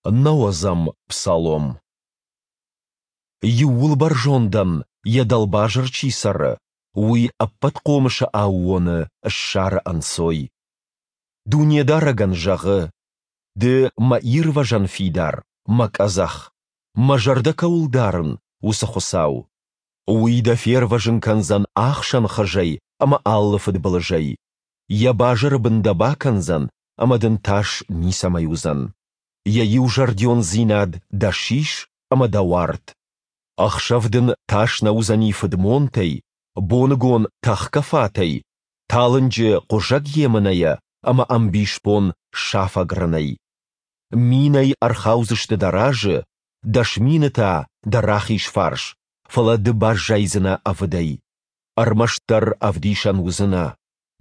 Нӕуӕдзӕм псалом. Иууылбӕрзондӕн йӕ дӕлбазыр чи цӕры, уый Ӕппӕтхъомысы аууоны ссары ӕнцой. Дунедарӕгӕн зӕгъы: Ды мӕ ирвӕзӕн фидар, мӕ къӕдзӕх, мӕ зӕрдӕ кӕуыл дарын, уыцы Хуыцау. Уый дӕ фервӕзын кӕндзӕн ахсӕн хызӕй ӕмӕ алы фыдбылызӕй. Йӕ базыры бын дӕ бакӕндзӕн, ӕмӕ дын тас ницӕмӕй уыдзӕн. Йӕ иузӕрдиондзинад дӕ сис ӕмӕ дӕ уарт. Ӕхсӕв дын тас нӕ уыдзӕни фыдмонтӕй, боныгон тӕхгӕ фатӕй, талынджы хъуызӕг емынӕйӕ ӕмӕ ӕмбисбон сафӕг рынӕй. Минӕй ӕрхаудзысты дӕ разы, 10,000 та дӕ рахиз фарс, фӕлӕ ды баззайдзынӕ ӕвыдӕй. Ӕрмӕстдӕр ӕвдисӕн уыдзынӕ,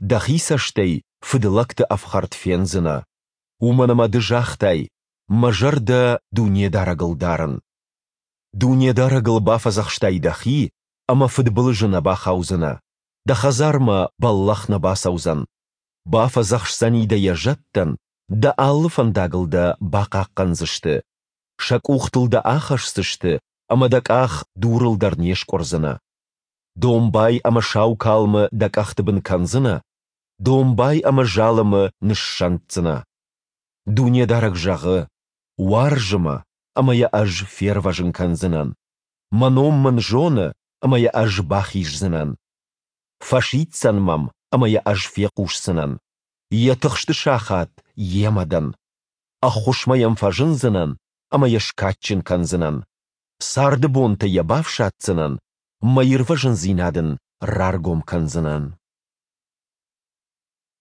дӕхи цӕстӕй фыдлӕгты ӕфхӕрд фендзынӕ. Уымӕн ӕмӕ ды загътай, мӕ зӕрдӕ Дунедарӕгыл дарын. Дунедарӕгыл бафӕдзӕхстай дӕхи, ӕмӕ фыдбылызы нӕ бахаудзынӕ, дӕ хӕдзармӕ бӕллӕх нӕ бацӕудзӕн. Бафӕдзӕхсдзӕни дӕ йӕ зӕдтӕн, дӕ алы фӕндагыл дӕ бахъахъхъӕндзысты. Сӕ къухтыл дӕ ахӕсдзысты, ӕмӕ дӕ къах дурыл дӕр не скъуырдзынӕ. Домбай ӕмӕ сау калмы дӕ къӕхты бын кӕндзынӕ, домбай ӕмӕ залымы ныссӕнддзынӕ. Дунедарӕг зӕгъы: Уарзы мӕ, ӕмӕ йӕ Ӕз фервӕзын кӕндзынӕн. Мӕ ном мын зоны, ӕмӕ йӕ Ӕз бахиздзынӕн. Фӕсиддзӕн мӕм, ӕмӕ йӕ Ӕз фехъусдзынӕн. Йӕ тыхсты сахат йемӕ дӕн. Ӕххуысмӕ йӕм фӕзындзынӕн ӕмӕ йӕ скадджын кӕндзынӕн. Царды бонтӕ йӕ бафсаддзынӕн, мӕ ирвӕзындзинад ын раргом кӕндзынӕн.